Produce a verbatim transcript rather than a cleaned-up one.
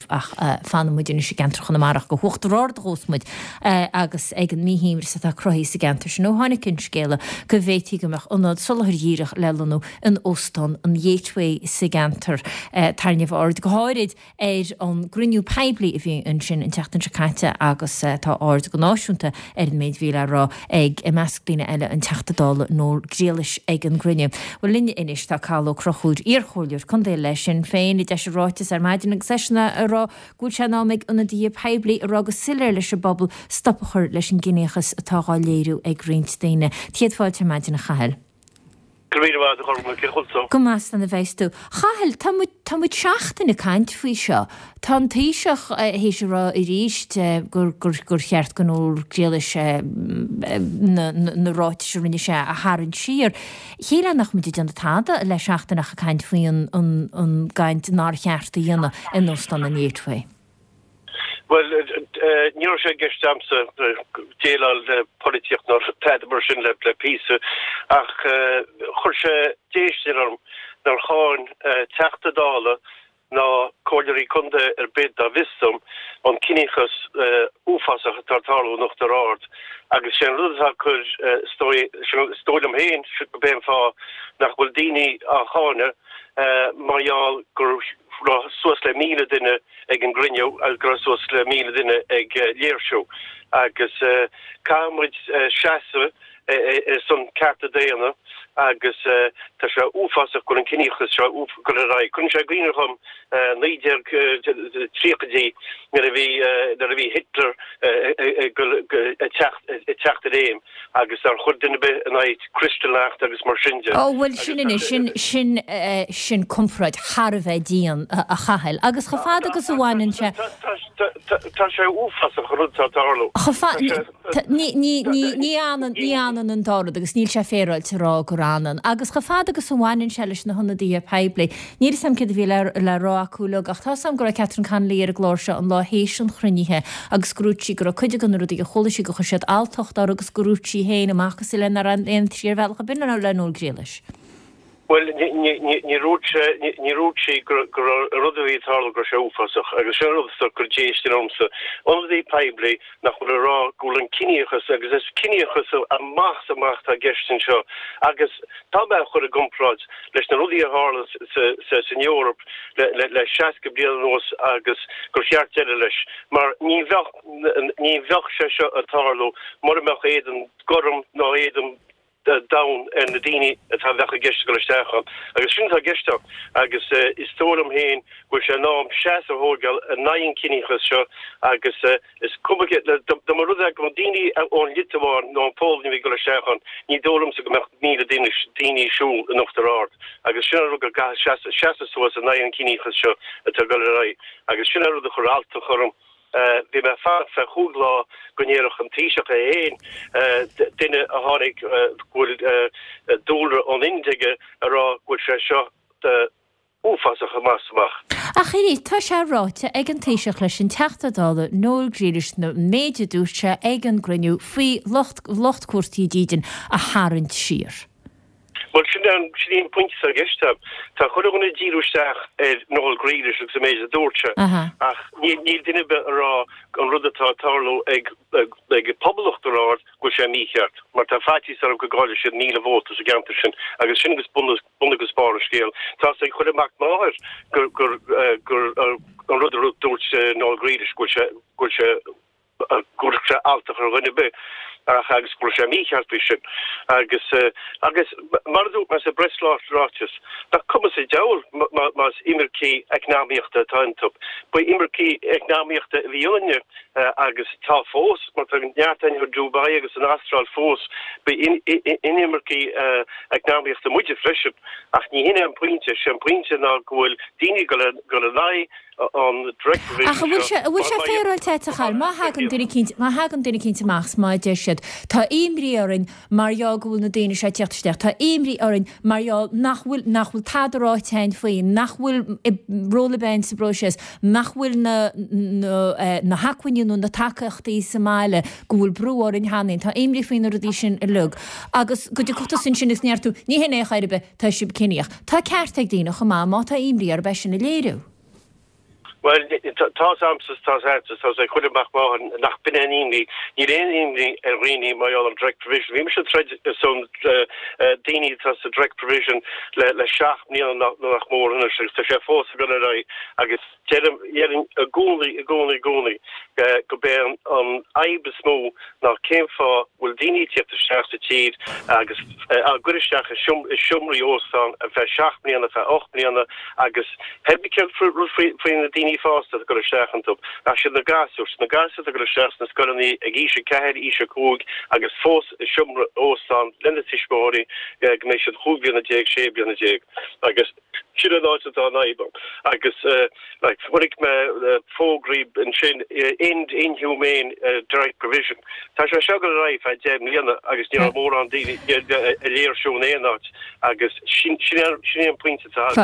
ach fanann muid anois i gceantar Chonamara go hUachtar Ard a ghabhfas muid agus ag an míshuaimhneas atá cruthaithe sa gceantar sin ó tháinig an scéala go bhféadfaí go mbeadh ionad soláthair dhíreach le lonnú in Óstán an Gateway sa gceantar. Tarraingíodh aird go háirid ar an gcruinniú poiblí a bhí ansin an tseachtain seo caite agus tá aird go náisiúnta ar an méid a bhí le rá ag, i measc daoine eile, an Teachta Dála Noel Grealish ag an gcruinniú. Bhuel linn anois tá Cathal Ó Conchúir, iarchomhairleoir contae le Sinn Féin, a d'eisigh ráiteas ar maidin agus eisean ag rá go bhfuil sé in am ag ionadaithe poiblí a rá go soiléir leis an bpobal stop a chur leis an gciníochas atá dhá léiriú ag roinnt daoine. Céad fáilte ar maidin a Chathail. Go raibh míle maith agat a Chormac, cén chaoi a bhfuil tú? Go maith slán a bheas tú. Chathail, tá muid, tá muid seachtain ag caint faoi seo. Tá an Taoiseach théis a rá arís gur, gur, gur cheart do Noel Grealish na, na ráitis a rinne sé a tharraingt siar. Shílfeá nach muid ag déanamh tada le seachtain ach ag caint faoi an, an, an gcaint nár cheart a dhéanamh in Óstán an Gateway. Bhuel, ní raibh sé i gceist agamsa déileáil le polaitíocht ná tada mar sin le píosa, ach chuir sé déistin orm nár cháin Teachta Dála ná comhairleoirí contae ar bith dá bhfios dom an ciníochas uafásach atá ag tarlú in Uachtar Ard agus sé an rud atá ag cur, is dóigh liom féin, gurb é an fáth nach bhfuil daoine á cháineadh mar gheall go raibh suas le míle duine ag an gcruinniú agus go raibh suas le míle duine ag léirsiú agus caithfidh muid seasamh ar son cearta daonna agus tá sé uafásach go bhfuil an ciníochas seo ag dul ar aghaidh. Cuireann sé i gcuimhne dhom naoi déag tríochaidí nuair a bhí nuair a bhí Hitler ag teacht ag teacht i réim agus nár chuir duine ar bith in aghaidh Kristallnacht agus mar sin de. Ó bhuel sin anois, sin, sin, sin comparáid thar a bheith dian, a Chathail. Agus chomh fada agus a bhaineann sé. Tá sé uafásach an rud atá ag tarlú. Chomh fada, ní, ní, ní, ní fhanann, ní fhanann an dá rud agus níl sé féaráilte a rá gur fhanann. Agus chomh fada agus a bhaineann sé leis na hionadaithe poiblí, níl 'fhios a'm céard a bhí le, le rá acu uilig ach tá 'fhios a'm go raibh Catherine Connolly ar an gclár seo an lá théis an chruinnithe agus gur dhúirt sí go raibh cuid de na rudaí a chuala sí gur chuir siad alltacht uirthi agus gur dhúirt sí féin amach is uile nár aontaigh sí ar bhealach ar bith le Noel Grealish. Bhuel, níor dhúirt sé, níor dhúirt sí go raibh an rud a bhí ag tarlú go raibh sé uafásach agus sin an rud a chuir déistin ormsa. Ionadaí poiblí nach bhfuil ag rá go bhfuil an ciníochas, agus is ciníochas amach is amach atá i gceist anseo agus tá mé á chur i gcomparáid leis na rudaí a tharla san Eoraip le seasca bliain anuas agus gur cheart deireadh leis mar ní bheadh ní bheadh sé seo ag tarlú mura mbeadh éadan gorm ná éadan donn ar na daoine atá bheadh i gceist ag dul isteach ann. Agus sin atá i gceist ann. Agus is dóigh liom féin go bhfuil sé in am seasamh a thógáil in aghaidh an chiníochais seo agus is cuma dá mba rud é go mbeadh daoine ón Liotuáin nó an Pholainn a bhí ag dul isteach ann, ní dóigh liomsa go mbeadh míle duine daoine ag siúl in Uachtar Ard. Agus sin an rud go gcaithfidh seasamh suas in aghaidh an chiníochais seo atá ag dul ar aghaidh. Agus sin an rud a chuir alltacht orm. Bhí mé ag fanacht feadh chúig lá go ndéarfadh an Taoiseach é féin, duine a tháinig go bhfuil dúlra ón Ind aige, a rá go bhfuil sé seo uafásach amach is amach. Ach arís, tá sé ráite ag an Taoiseach leis an Teachta Dála Noel Grealish an méid a dúirt sé ag an gcruinniú faoi lucht lucht cuartaithe dídine a tharraingt siar. Bhuel, sin é an, sin í an pointe atá i gceist agam. Tá chuile dhuine ag díriú isteach ar Noel Grealish agus an méid a dúirt sé, ach níl, níl duine ar bith ag rá an rud atá ag tarlú ag, ag pobal Uachtar Ard, go bhfuil sé mícheart, mar tá faitíos orm go gcaillfidh siad míle vóta sa gceantar sin, agus sin agus bun, bun agus barr an scéil. Tá 'fhios ag chuile mac máthar gur, gur, gur, an rud a dúirt Noel Grealish, go bhfuil sé, go bhfuil sé, go gcuirfeadh sé alltacht ar dhuine ar bith ach agus go bhfuil sé mícheart faoi sin agus agus mar a dúirt mé sa bpreasráiteas, nach cuma sa diabhal más imircigh eacnamaíochta atá iontu. Ba imircigh eacnamaíochta a bhí ionainne agus tá fós, mar tá neart againn i Dubai agus san Astráil fós, ba inimircigh eacnamaíochta muide freisin ach ní hin é an pointe, sé an pointe ná go bhfuil daoine ag dul in aghaidh an Direct Provision Ach an bhfuil sé, an bhfuil sé féaráilte a Chathail, má thagann duine eicínt, má thagann duine eicínt amach 's má deir siad, tá imní orainn mar gheall go bhfuil na daoine seo ag tíocht isteach, tá imní orainn mar gheall nach bhfuil, nach bhfuil tada ráite againn faoi, nach bhfuil ról ar bith againn sa bpróiseas, nach bhfuil na, na, na hacmhainní nó na tacaíochtaí sa mbaile, go bhfuil brú orainn cheana féin, tá imní faoi na rudaí sin uilig. Agus go dtiocfadh tusa ansin agus ndéarfadh tú, ní hin é chor ar bith, tá sibh ciníoch. Tá ceart ag daoine chomh maith má tá imní orthu é sin a léiriú. Well tá amsa tá tá chuile mac nach bin an imní ní aon imní ar dhaoine mar an direct provision. Bhí se troid son daoine tá sa direct provision le le seacht mbliana nach mór tá sé fós go ra agus deirim i gcónaí i gcónaí i gcónaí go bé an fhadhb is mó ná cén fáth bhfuil daoine teacht isteach sa tír agus á gcur isteach i seomraí óstán a feadh seacht mbliana feadh ocht mbliana agus faoi na daoine fásta go isteach iontu ach sin na gasúir na gasúir go isteach na scoileanna ag aois a ceathair aois a cúig agus fós i seomra óstán lena tuismitheoirí go mbeidh siad cúig bliana déag sé bliana déag agus sin an áit atá an fhadhb agus like chonaic mé fógraí ansin end inhumane uh, direct provision. Tá sé seo go raibh feadh deich mbliana agus ní mórán daoine a léirsiú aon áit agus sin sin an pointe.